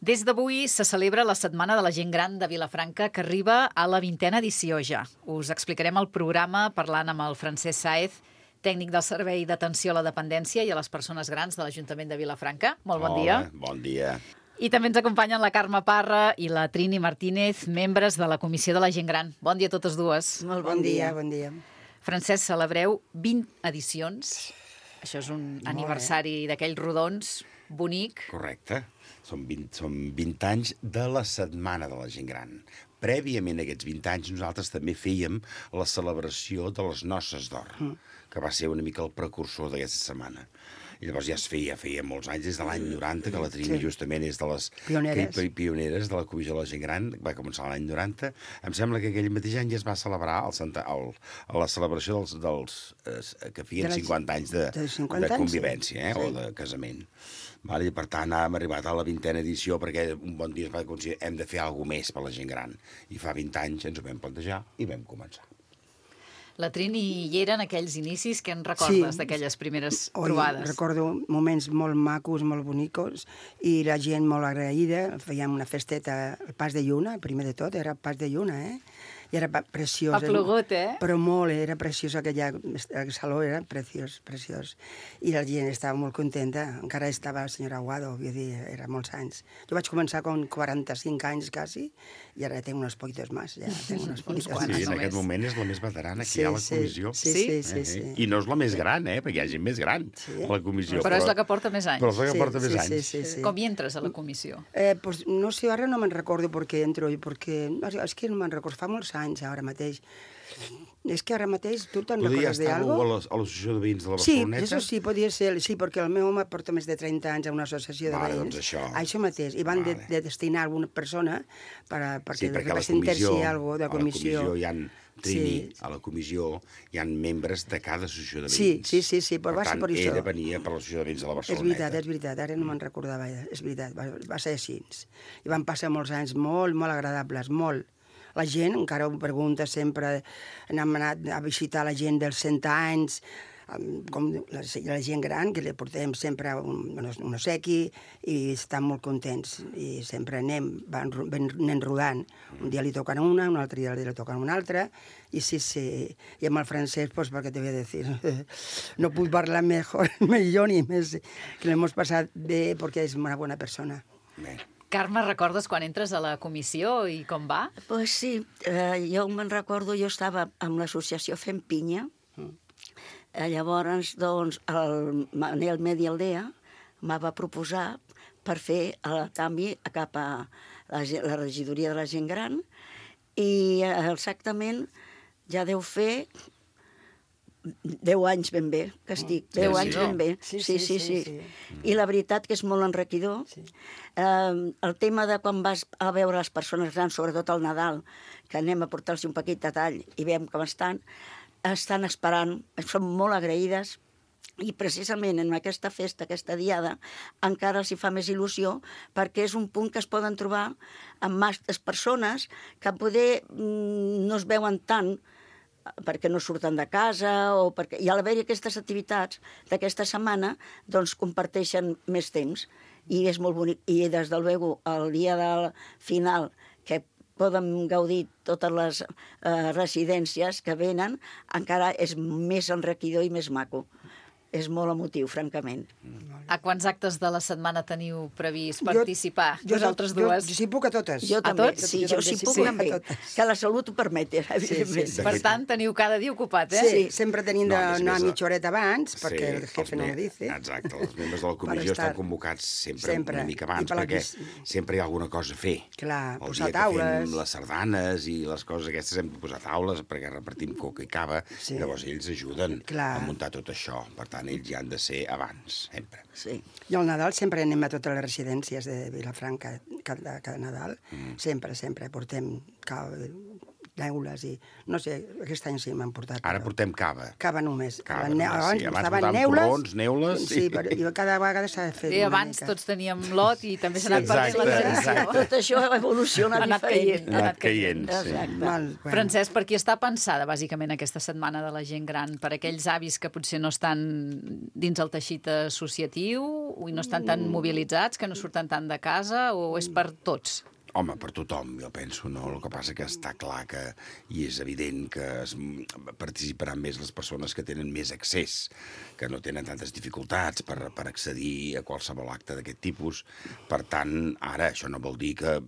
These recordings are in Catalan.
Des d'avui se celebra la Setmana de la Gent Gran de Vilafranca, que arriba a la 20a edició ja. Us explicarem el programa parlant amb el Francesc Sáez, tècnic del Servei d'Atenció a la Dependència i a les Persones Grans de l'Ajuntament de Vilafranca. Molt bon dia. Hola, bon dia. I també ens acompanyen la Carme Parra i la Trini Martínez, membres de la Comissió de la Gent Gran. Bon dia a totes dues. Molt bon dia. Bon dia. Francesc, celebreu 20 edicions. Això és un aniversari d'aquells rodons bonic. Correcte. Són 20 anys de la Setmana de la Gent Gran. Prèviament a aquests 20 anys nosaltres també fèiem la celebració de les Noces d'Or, que va ser una mica el precursor d'aquesta setmana. I llavors ja es feia molts anys, des de l'any 90, que la Trini justament és de les pioneres de la Comissió de la Gent Gran, va començar l'any 90. Em sembla que aquell mateix any ja es va celebrar la celebració dels que feien 50 anys de convivència, o de casament. I per tant hem arribat a la 20a edició perquè un bon dia es va considerar hem de fer alguna més per la gent gran. I fa 20 anys ens ho vam plantejar i vam començar. La Trini hi era en aquells inicis. Què en recordes d'aquelles primeres trobades? Recordo moments molt macos, molt bonicos, i la gent molt agraïda. Fèiem una festeta al Pas de Lluna, primer de tot, era Pas de Lluna, I era preciós. Ha plogut, Però molt, era preciós el saló, era preciós. I la gent estava molt contenta. Encara estava el senyor Aguado, vull dir, era molts anys. Jo vaig començar amb 45 anys, quasi, i ara tenc unos poquitos más. Ja tengo unos poquitos más. Sí, en aquest moment és la més veterana que hi ha a la comissió. Sí. I no és la més gran, perquè hi ha gent més gran a la comissió. Però és la que porta més anys. Però és la que porta més anys. Sí. Com hi entres a la comissió? Pues no sé, ara no me'n recordo per què entro, perquè és que no me'n recordo, fa molts anys ara mateix. És que ara mateix tu te'n recordes d'algo? Podria estar a l'associació de veïns de la Barceloneta? Sí, eso sí, podia ser, sí, perquè el meu home porta més de 30 anys a una associació de veïns. Doncs això. Això mateix, i van de destinar alguna persona perquè representessi alguna de la comissió. A la comissió hi ha membres de cada associació de veïns. Sí, però va ser per això. Per tant, ella venia per l'associació de veïns de la Barceloneta. És veritat, ara no me'n recordava, és veritat, va ser així. I van passar molts anys molt agradables, molt. La gent encara ho pregunta sempre, hem anat a visitar la gent dels 100 anys, com la gent gran, que li portem sempre un obsequi i estan molt contents. I sempre anem rodant. Un dia li toquen una, un altre dia li toquen una altra, i sí. I amb el francès, pues, perquè te voy a decir, no puc parlar millor ni més, que l'hem passat bé perquè és una bona persona. Bé. Carme, recordes quan entres a la comissió i com va? Pues sí, jo me'n recordo, jo estava amb l'associació Fem Pinya, llavors, doncs, el Manel Medi Aldea me va proposar per fer el canvi cap a la regidoria de la gent gran, i exactament ja deu fer 10 anys ben bé, que estic. 10 anys ben bé. Sí. I la veritat que és molt enriquidor. El tema de quan vas a veure les persones grans, sobretot al Nadal, que anem a portar-los un petit detall i veiem com estan esperant, són molt agraïdes, i precisament en aquesta festa, aquesta diada, encara els hi fa més il·lusió, perquè és un punt que es poden trobar amb masses persones que poder no es veuen tant perquè no surten de casa, i a l'haver-hi aquestes activitats d'aquesta setmana, doncs comparteixen més temps, i és molt bonic. I des del luego, el dia del final, que poden gaudir totes les residències que venen, encara és més enriquidor i més maco. És molt emotiu, francament. A quants actes de la setmana teniu previst participar? Vosaltres dues? Jo sí puc a totes. Jo també, tots? jo sí puc també. Que la salut ho permeti, evidentment. Per tant, teniu cada dia ocupat, Sí, sempre tenim d'anar mitja horeta abans, perquè el jefe no ho dice. Exacte, els membres de la comissió estan convocats sempre una mica abans, perquè sempre hi ha alguna cosa a fer. Clar, El posar dia que taules. fem les sardanes i les coses aquestes hem de posar taules, perquè repartim coca i cava, llavors ells ajuden a muntar tot això. Per tant, ells ja han de ser abans, sempre. Sí. I al Nadal sempre anem a totes les residències de Vilafranca, cada Nadal. Sempre. Portem neules i... No sé, aquest any sí m'han portat. Ara portem cava. Cava només. Cava Abans només, sí. Abans portaven portàvem torrons, neules... Sí, però cada vegada s'ha fet Sí, una abans mica. tots teníem lot i també s'ha anat Exacte, perdent la tradició. exacte. Tot això evoluciona Ha anat diferent. caient. Ha anat caient, sí. Exacte. Bueno. Francesc, per qui està pensada, bàsicament, aquesta setmana de la gent gran? Per aquells avis que potser no estan dins el teixit associatiu i no estan tan mobilitzats, que no surten tant de casa, o és per tots? Home, per tothom, jo penso, no? El que passa que està clar que, i és evident que participaran més les persones que tenen més accés, que no tenen tantes dificultats per accedir a qualsevol acte d'aquest tipus. Per tant, ara, això no vol dir que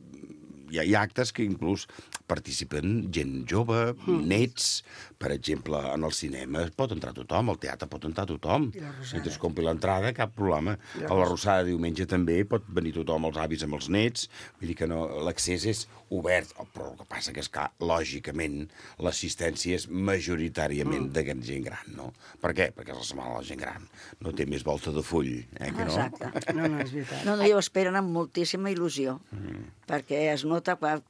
hi ha actes que inclús participen gent jove, nets, per exemple, en el cinema pot entrar tothom, al teatre pot entrar tothom. Si es compri l'entrada, cap problema. A la Rosada diumenge també pot venir tothom, els avis amb els nets, vull dir que no, l'accés és obert, però el que passa que és que, lògicament, l'assistència és majoritàriament de gent gran, no? Per què? Perquè és la setmana de la gent gran. No té més volta de full, que no? Exacte. No, és veritat. No, i ho esperen amb moltíssima il·lusió, perquè es nota quan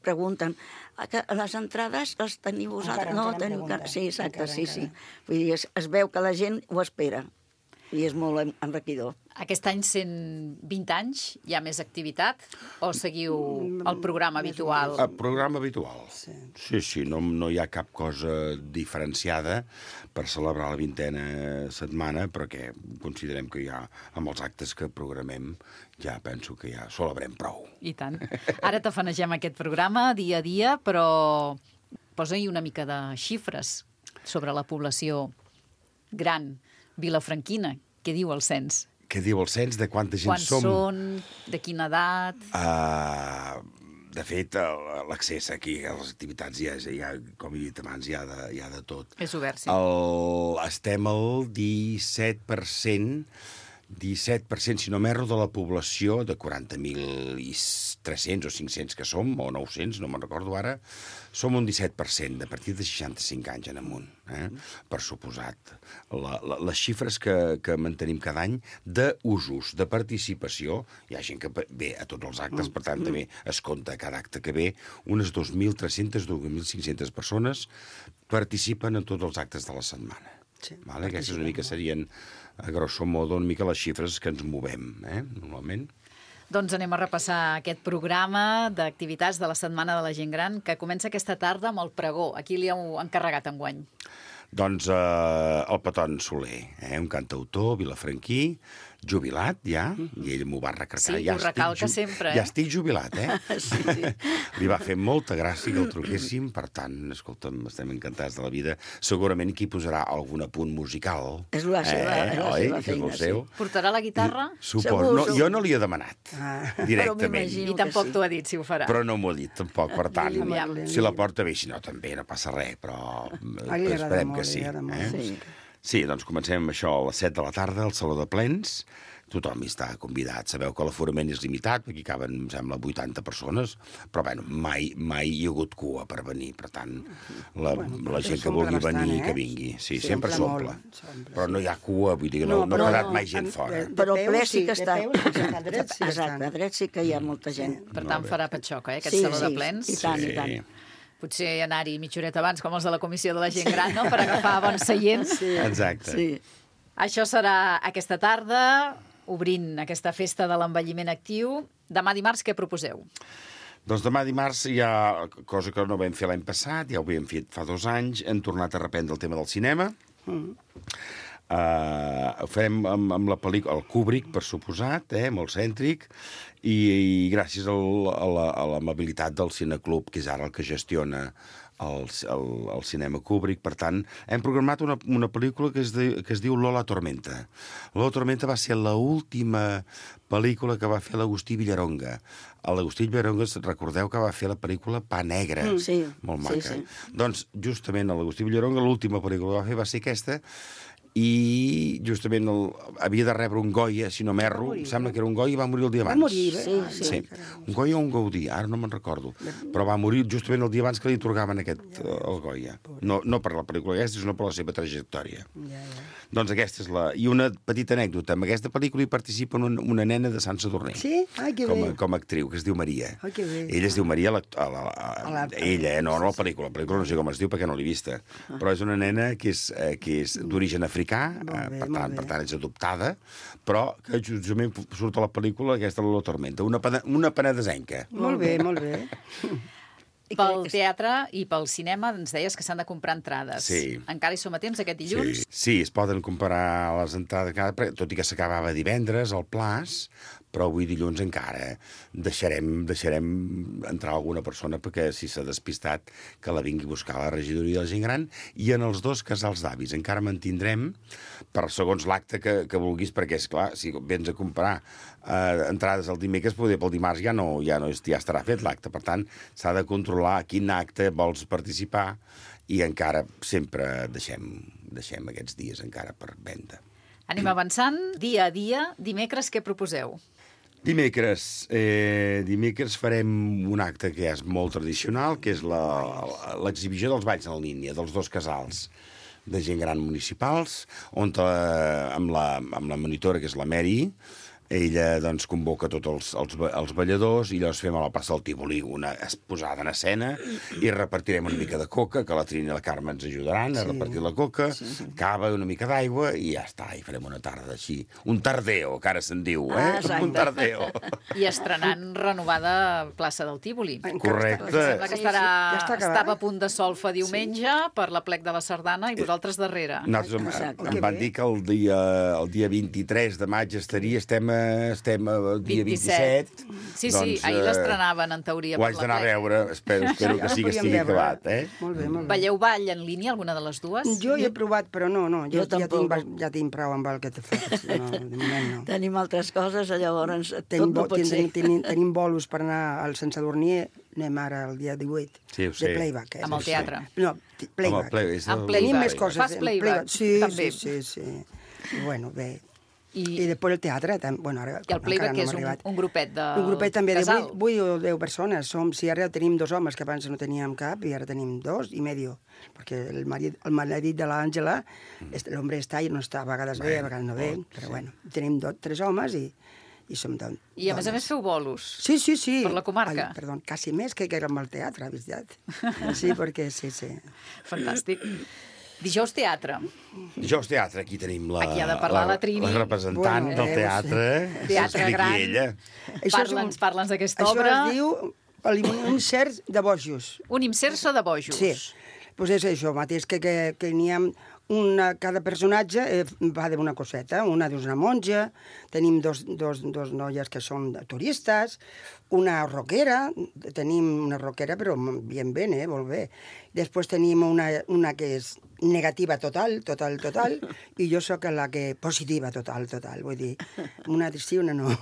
pregunten les entrades les teniu vosaltres? No, teniu... Sí, exacte, sí. Vull dir, es veu que la gent ho espera i és molt enriquidor. Aquest any, 120 anys, hi ha més activitat o seguiu el programa habitual? El programa habitual. Sí, no hi ha cap cosa diferenciada per celebrar la 20a setmana, però que considerem que ja, amb els actes que programem, ja penso que ja celebrem prou. I tant. Ara tafanegem aquest programa dia a dia, però posa-hi una mica de xifres sobre la població gran vilafranquina. Què diu el cens? Què diu el cens? De quanta gent som? Quants són? De quina edat? De fet, l'accés aquí a les activitats ja, com he dit abans, hi ha de tot. És obert, sí. Estem al 17%, si no m'erro, de la població de 40.300 o 500 que som, o 900, no me'n recordo ara, som un 17%, a partir de 65 anys en amunt, per suposat. Les xifres que mantenim cada any d'usos, de participació, hi ha gent que ve a tots els actes, per tant, també es compta cada acte que ve, unes 2.300, 2.500 persones participen en tots els actes de la setmana. Sí, aquestes una mica serien, a grosso modo, una mica les xifres que ens movem, normalment. Doncs anem a repassar aquest programa d'activitats de la Setmana de la Gent Gran que comença aquesta tarda amb el pregó. A qui li heu encarregat enguany? Doncs el Peton Soler, un cantautor vilafranquí, jubilat ja, i ell m'ho va recalcar. Sí, ho recalca sempre, Ja estic jubilat, Sí. Li va fer molta gràcia que el truquéssim, per tant, escolta'm, estem encantats de la vida. Segurament aquí posarà algun apunt musical. És la seva feina, sí. Portarà la guitarra? Suposo. No, jo no li he demanat, directament. I tampoc t'ho ha dit, si ho farà. Però no m'ho ha dit, tampoc, per tant, Aviam. si la porta bé, si no, també no passa res, però esperem que sí. Sí, doncs comencem amb això a les 7 de la tarda, al Saló de Plens. Tothom hi està convidat. Sabeu que l'aforament és limitat, perquè caben, em sembla, 80 persones, però bueno, mai hi ha hagut cua per venir. Per tant, la gent que vulgui venir, que vingui. Sí, sempre s'omple. Però no hi ha cua, vull dir, no ha quedat mai gent fora. Però el ple sí que està... Exacte, a dret sí que hi ha molta gent. Per tant, farà patxoca, aquest Saló de Plens. I tant, i tant. Potser anar-hi mitja horeta abans, com els de la Comissió de la Gent Gran, no?, per agafar bons seients. Exacte. Sí. Això serà aquesta tarda, obrint aquesta festa de l'envelliment actiu. Demà dimarts, què proposeu? Doncs demà dimarts hi ha cosa que no vam fer l'any passat, ja ho havíem fet fa 2 anys, hem tornat a reprendre el tema del cinema. Ho farem amb la pel·lícula, el Kubrick, per suposat, molt cèntric, i gràcies a l'amabilitat del Cineclub, que és ara el que gestiona el cinema Kubrick. Per tant, hem programat una pel·lícula que es diu Lola Tormenta. Lola Tormenta va ser l'última pel·lícula que va fer l'Agustí Villaronga. L'Agustí Villaronga, recordeu que va fer la pel·lícula Pa Negra. Molt maca. Sí. Doncs, justament, l'Agustí Villaronga, l'última pel·lícula que va fer va ser aquesta, i justament havia de rebre un Goya, si no m'erro, sembla que era un Goya, i va morir el dia abans. Va morir, Sí. Un Goya o un Gaudí, ara no me'n recordo. Però va morir justament el dia abans que li atorgaven el Goya. No per la pel·lícula aquesta, sinó per la seva trajectòria. Doncs aquesta és la... I una petita anècdota. En aquesta pel·lícula hi participa una nena de Sant Sadurní. Sí? Ai, que bé. Com a actriu, que es diu Maria. Ai, que bé. Ella es diu Maria, ella, no la pel·lícula. La pel·lícula no sé com es diu perquè no l'he vista. Però és una nena que és d'origen africà, per tant és adoptada, però que justament surt a la pel·lícula aquesta La Tormenta, una penedesenca. Molt bé, molt bé. Pel teatre i pel cinema ens deies que s'han de comprar entrades. Sí. Encara hi som a temps aquest dilluns? Sí, es poden comprar les entrades, tot i que s'acabava divendres, al Plaç, però avui dilluns encara deixarem entrar alguna persona perquè si s'ha despistat que la vingui a buscar a la regidoria de la gent gran, i en els 2 casals d'avis encara mantindrem per segons l'acte que vulguis, perquè és clar, si vens a comprar entrades el dimecres, poder pel dimarts ja estarà fet l'acte, per tant s'ha de controlar a quin acte vols participar i encara sempre deixem aquests dies encara per venda. Anem avançant, dia a dia. Dimecres, què proposeu? Dimecres farem un acte que és molt tradicional, que és l'exhibició dels balls en línia, dels 2 casals de gent gran municipals, on amb la monitora, que és la Mary, ella doncs, convoca tots els balladors i llavors fem a la plaça del Tívoli una posada en escena i repartirem una mica de coca, que la Trini i la Carme ens ajudaran a repartir la coca, cava, una mica d'aigua i ja està, i farem una tarda així. Un tardeo, que ara se'n diu, un tardeo. I estrenant renovada plaça del Tívoli. Correcte. Sembla que estava a punt de solfa diumenge per la plec de la Sardana i vosaltres darrere. Nosaltres em van dir que el dia 23 de maig estem el dia 27. Sí, doncs, ahir l'estrenaven, en teoria, ho haig d'anar a veure, espero que sí que estigui acabat. Molt bé, molt bé. Veieu ball en línia, alguna de les dues? Jo hi he provat, però no. Jo ja tinc prou amb el que te fas. No, de moment no. Tenim altres coses, llavors tot no pot ser. Tenim bolos per anar al Sant Sadurní, anem ara el dia 18, sí, de playback. Amb el teatre? No, playback. Amb playback. Tenim més coses. Fas playback, també? Sí. Bueno, bé. I després el teatre, bueno, ara i el playback és un grupet de un grupet també casal. De 8 o 10 persones. Si ara tenim 2 homes, que abans no teníem cap, i ara tenim 2 i medio, perquè el marit de l'Àngela, l'home està i no està, a vegades bé, a vegades no ve, però bueno, tenim 3 homes i som dones. I a més feu bolos. Sí. Per la comarca. Perdó, quasi més que amb el teatre, veritat. Sí, perquè sí. Fantàstic. Dijous teatre. Aquí tenim aquí ha de parlar la Trini. La representant del teatre. Teatre gran. Parla'ns d'aquesta obra. Això es diu un insert de bojos. Un inserso de bojos. Sí, doncs és això mateix, que n'hi ha cada personatge va d'una coseta. Una és una monja, tenim dos noies que són turistes, una rockera, però bien, molt bé. Després tenim una que és negativa total, i jo sóc la que positiva total, vull dir, una sí, una no.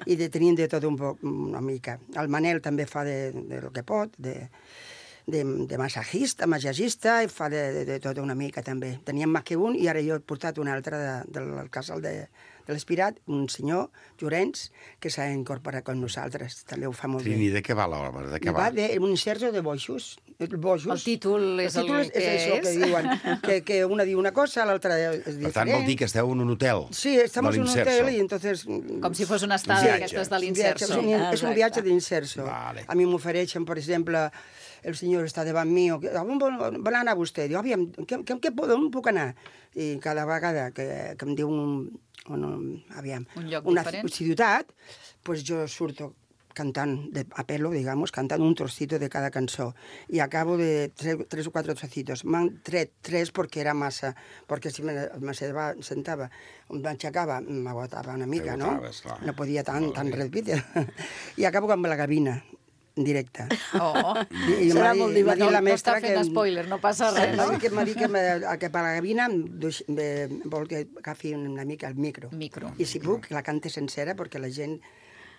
I tenim de tot un poc, una mica. El Manel també fa de lo que pot, de massagista, i fa de tot una mica també. Teníem més que un i ara jo he portat un altre del casal de l'Espirat, un senyor, Llorenç, que s'ha incorporat amb nosaltres. També ho fa molt bé. Trini, de què va l'obra? Va d'un inserso de bojos. El títol és el que és. Que diuen, que una diu una cosa, l'altra és diferent. Per tant, vol dir que esteu en un hotel. Sí, estamos en un hotel y entonces... Com si fos una estada d'aquestes de l'inserso. És un viatge d'inserso. A mi m'ofereixen, per exemple, el senyor està davant mi, on vol anar vostè? Diu, aviam, on puc anar? I cada vegada que em diu un lloc diferent, ciutat, doncs jo surto cantant a pelo, digamos, cantant un trocito de cada cançó. I acabo de 3 o 4 trocitos. M'han tret 3 perquè era massa, perquè si me sentava, m'aixecava, m'agotava una mica, no? No podia tan ràpid. I acabo amb la gavina directe. Serà molt divertit. No està fent spoiler, no passa res. M'ha dit que per la gavina vol que agafi una mica el micro. I si puc, la cante sencera, perquè la gent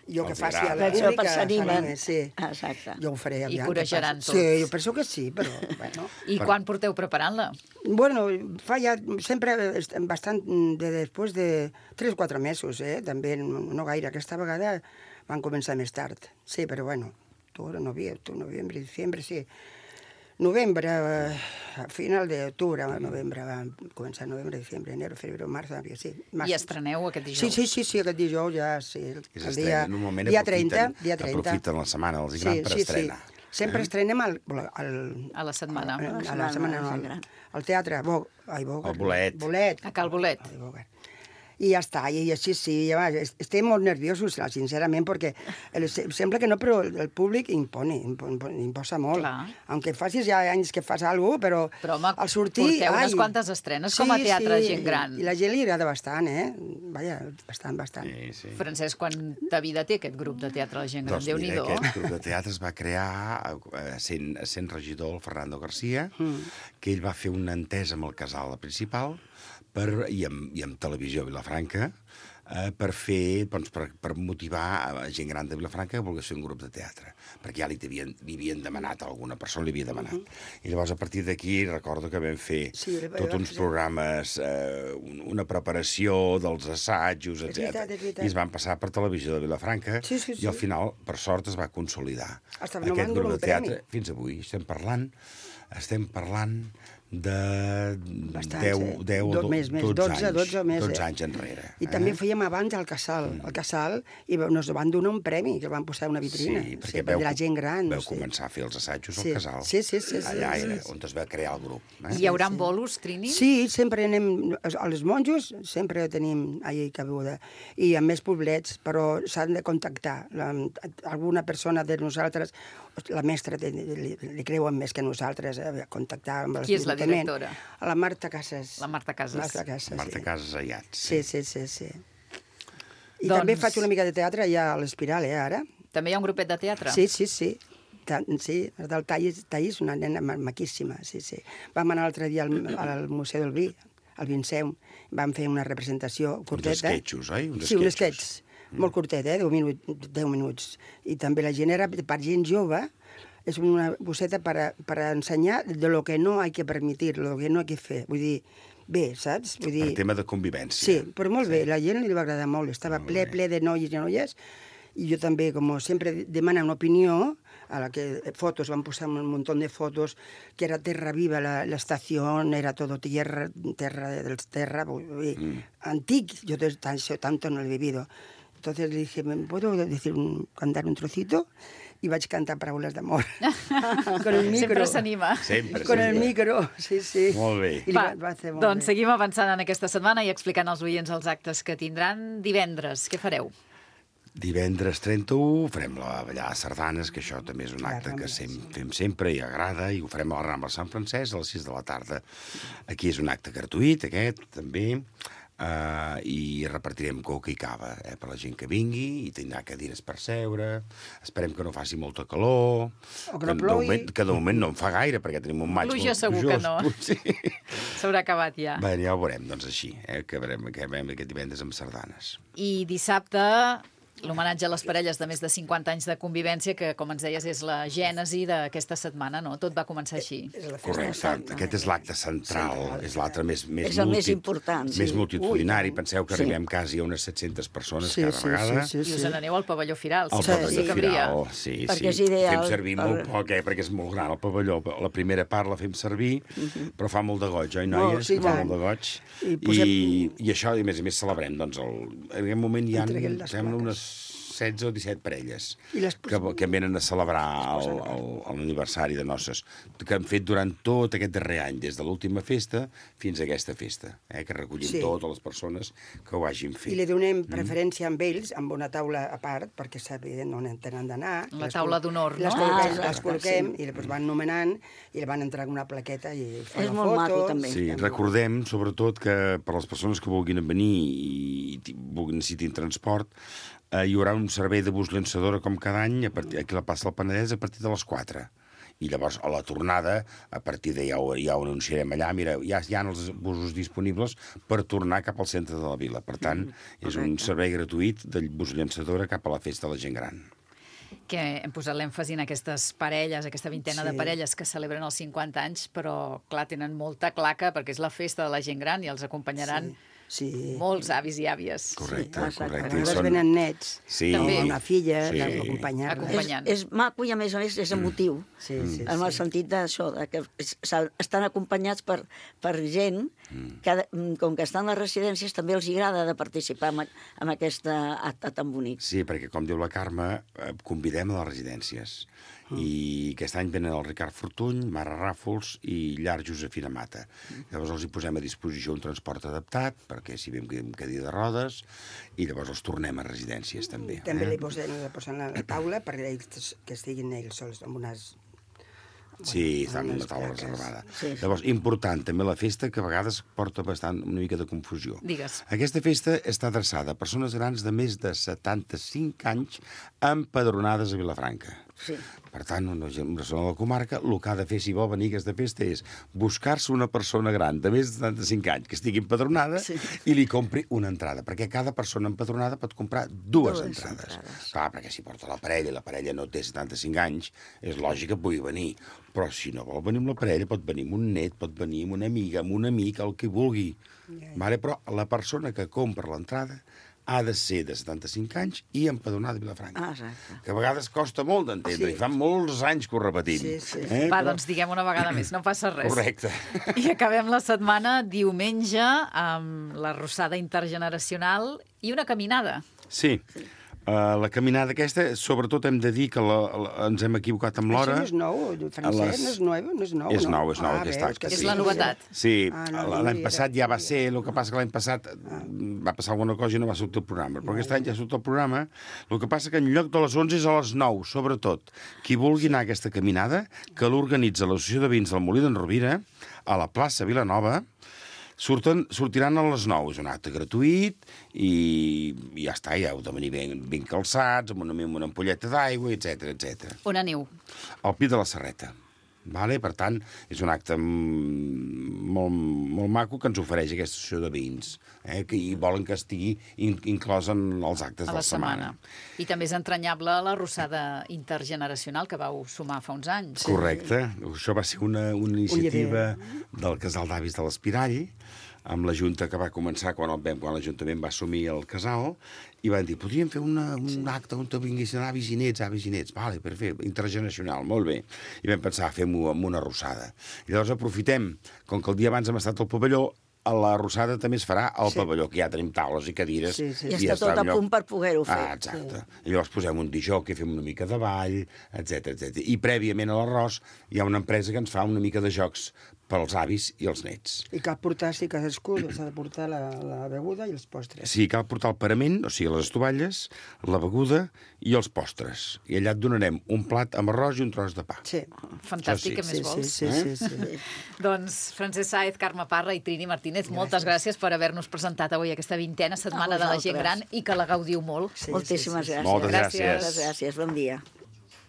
Jo que Els faci a agrada. la Per això pública, s'animen. sí. Exacte. Jo ho faré. I aviam, corejaran que tots. Sí, jo penso que sí, però, bueno... I quan porteu preparant-la? Bueno, fa ja sempre bastant després de 3 o 4 mesos, també no gaire. Aquesta vegada van començar més tard. Sí, però bueno, novembre, diciembre, sí. Novembre, a final d'octubre, novembre, va començar novembre, diciembre, enero, febrero, marzo, abril, sí. I estreneu aquest dijous? Sí, aquest dijous ja, sí. El dia, normalment dia 30, dia 30. aprofiten la setmana dels Gran per estrenar. Sempre estrenem A la setmana. a la setmana, no, al teatre, El Bolet. Bolet. A Cal Bolet. Ai, Bolet. I ja està, i així sí, ja, estem molt nerviosos, sincerament, perquè sembla que no, però el públic imposa molt. Clar. Aunque facis ja anys que fas alguna cosa, Però, home, al sortir... porteu unes quantes estrenes com a teatre de gent gran. I la gent li agrada bastant, Vaja, bastant. Sí. Francesc, quanta vida té aquest grup de teatre de gent gran? Doncs mira, Déu-n'hi-do. aquest grup de teatre es va crear sent regidor el Fernando García, que ell va fer una entesa amb el casal principal i amb Televisió Vilafranca per fer, doncs, per motivar a gent gran de Vilafranca que volgués fer un grup de teatre, perquè ja li havien demanat, alguna persona li havia demanat. I llavors, a partir d'aquí, recordo que vam fer tots uns programes, una preparació dels assajos, etc. I es van passar per Televisió de Vilafranca i al final, per sort, es va consolidar aquest grup de teatre. Fins avui estem parlant de 12 anys enrere. I també fèiem abans al Casal, i nos van donar un premi, que van posar una vitrina. Sí, perquè de la gent gran. vau començar a fer els assajos al Casal. Sí. Allà era on es va crear el grup. Hi haurà bolos, Trini? Sí, sempre anem... Els monjos sempre tenim allà cabuda. I amb més poblets, però s'han de contactar. Alguna persona de nosaltres, la mestra li creuen més que nosaltres, contactar amb Qui és la directora? La Marta Casas. La Marta Casas. Marta Casas Ayat. Sí. I també faig una mica de teatre allà a l'Espiral, ara. També hi ha un grupet de teatre? Sí. Sí, del Taís, una nena maquíssima, sí. Vam anar l'altre dia al Museu del Vi, al Vinceum, vam fer una representació curteta. Uns esquetxos, oi? Sí, un esquetx. Molt curtet, 10 minuts. I també la gent era, per gent jove, és una bosseta per ensenyar de lo que no hay que permitir, lo que no hay que fer. Vull dir, bé, saps? Vull dir... Per tema de convivència. Sí, però molt bé, la gent li va agradar molt. Estava ple de noies i noies, i jo també, com sempre, demana una opinió, a la que fotos, van posar un montón de fotos, que era Terra Viva, la estación, era todo terra, antic, yo tanto no lo he vivido. Entonces le dije, ¿me puedo cantar un trocito? I vaig cantar paraules d'amor. Con el micro. Sempre s'anima. Con el micro, sí. Molt bé. Va fer molt Doncs bé. seguim avançant en aquesta setmana i explicant als oients els actes que tindran divendres. Què fareu? Divendres 31 farem la ballada de sardanes, que això també és un acte que fem sempre i agrada, i ho farem a la Rambla Sant Francesc a les 6 de la tarda. Aquí és un acte gratuït, aquest, també, i repartirem coca i cava per la gent que vingui, i tindrà cadires per seure. Esperem que no faci molta calor, o que no plogui, que de moment no en fa gaire, perquè tenim un maig pluja segur que no. S'haurà acabat ja. Bé, ja ho veurem, doncs així, que veurem aquest divendres amb sardanes. I dissabte, l'homenatge a les parelles de més de 50 anys de convivència, que, com ens deies, és la gènesi d'aquesta setmana, no? Tot va començar així. Correcte. Aquest és l'acte central, és l'altre més és el més important. Més multitudinari. Penseu que arribem quasi a unes 700 persones cada vegada. I us n'aneu al pavelló Firal. Al pavelló Firal, sí. Perquè és ideal. Fem servir molt poc, perquè és molt gran el pavelló. La primera part la fem servir, però fa molt de goig, oi, noies? Fa molt de goig. I això, i a més celebrem, doncs, en aquest moment hi ha, sembla, unes 16 o 17 parelles que venen a celebrar l'aniversari de noces, que han fet durant tot aquest darrer any, des de l'última festa fins a aquesta festa, que recollim totes les persones que ho hagin fet. I li donem preferència amb ells, amb una taula a part, perquè sàpiguen on tenen d'anar. La taula d'honor, no? Les col·loquem i les van nomenant i li van entrar una plaqueta i fan la foto. És molt maco, també. Sí, recordem, sobretot, que per les persones que vulguin venir i necessitin transport, hi haurà un servei de bus llançadora com cada any aquí a la plaça del Penedès a partir de les 4. I llavors, a la tornada, a partir de ja ho anunciarem allà, mira, ja hi ha els busos disponibles per tornar cap al centre de la vila. Per tant, és un servei gratuït de bus llançadora cap a la festa de la gent gran. Que hem posat l'èmfasi en aquestes parelles, aquesta vintena de parelles que celebren els 50 anys, però, clar, tenen molta claca perquè és la festa de la gent gran i els acompanyaran molts avis i àvies. Correcte. A vegades venen nets, També. una filla, d'acompanyar-la. És maco i, a més, és emotiu. En el sentit d'això, que estan acompanyats per gent que, com que estan a les residències, també els agrada de participar en aquest acte tan bonic. Sí, perquè, com diu la Carme, convidem a les residències. I aquest any venen el Ricard Fortuny, Mare Ràfols i Llar Josefina Mata. Llavors els hi posem a disposició un transport adaptat, perquè si vam amb cadira de rodes, i llavors els tornem a residències, també. També li posen a la taula perquè ells, que estiguin ells sols amb unes... Sí, estan en una taula reservada. Llavors, important, també la festa, que a vegades porta bastant una mica de confusió. Digues. Aquesta festa està adreçada a persones grans de més de 75 anys empadronades a Vilafranca. Sí. Per tant, una persona de la comarca, el que ha de fer, si vol venir a aquesta festa, és buscar-se una persona gran de més de 75 anys que estigui empadronada i li compri una entrada, perquè cada persona empadronada pot comprar dues entrades. Clar, perquè si porta la parella no té 75 anys, és lògic que pugui venir. Però si no vol venir amb la parella, pot venir amb un net, pot venir amb una amiga, amb un amic, el que vulgui. Vale? Però la persona que compra l'entrada ha de ser de 75 anys i empadronada a Vilafranca. Que a vegades costa molt d'entendre, i fa molts anys que ho repetim. Va, doncs diguem una vegada més, no passa res. Correcte. I acabem la setmana diumenge amb la rossada intergeneracional i una caminada. Sí. La caminada aquesta, sobretot hem de dir que ens hem equivocat amb l'hora. Això no és nou, Francesc, no és nou. És nou aquest acte. És la novetat. Sí, l'any passat ja va ser, el que passa que l'any passat va passar alguna cosa i no va sortir el programa, però aquest any ja ha sortit el programa. El que passa que en lloc de les 11 és a les 9, sobretot. Qui vulgui anar a aquesta caminada, que l'organitza l'Associació de Vins del Molí d'en Rovira, a la plaça Vilanova, sortiran a les 9. És un acte gratuït i ja està, ja heu de venir ben calçats, amb una ampolleta d'aigua, etc. On aneu? Al Pi de la Serreta. Vale? Per tant, és un acte molt maco que ens ofereix aquesta associació de veïns, i volen que estigui inclòs en els actes de la setmana. I també és entranyable la rossada intergeneracional que vau sumar fa uns anys. Correcte. Això va ser una iniciativa del Casal d'Avis de l'Espirall, amb la Junta que va començar quan l'Ajuntament va assumir el casal, i van dir, podríem fer un acte on vinguessin avis i nets, vale, per fer intergeneracional, molt bé. I vam pensar, fem-ho amb una rossada. I llavors aprofitem, com que el dia abans hem estat al pavelló, a la rossada també es farà al pavelló, que ja tenim taules i cadires. I està tot a punt per poder-ho fer. Exacte. I llavors posem un dijó que fem una mica de ball, etc. I prèviament a l'arròs hi ha una empresa que ens fa una mica de jocs pels avis i els nets. I cal portar, si cadascú s'ha de portar la beguda i els postres. Sí, cal portar el parament, o sigui, les estovalles, la beguda i els postres. I allà et donarem un plat amb arròs i un tros de pa. Sí. Fantàstic, què més vols? Sí. Doncs Francesc Sáez, Carme Parra i Trini Martínez, moltes gràcies per haver-nos presentat avui aquesta vintena setmana de la gent gran i que la gaudiu molt. Moltíssimes gràcies. Moltes gràcies. Moltes gràcies, bon dia.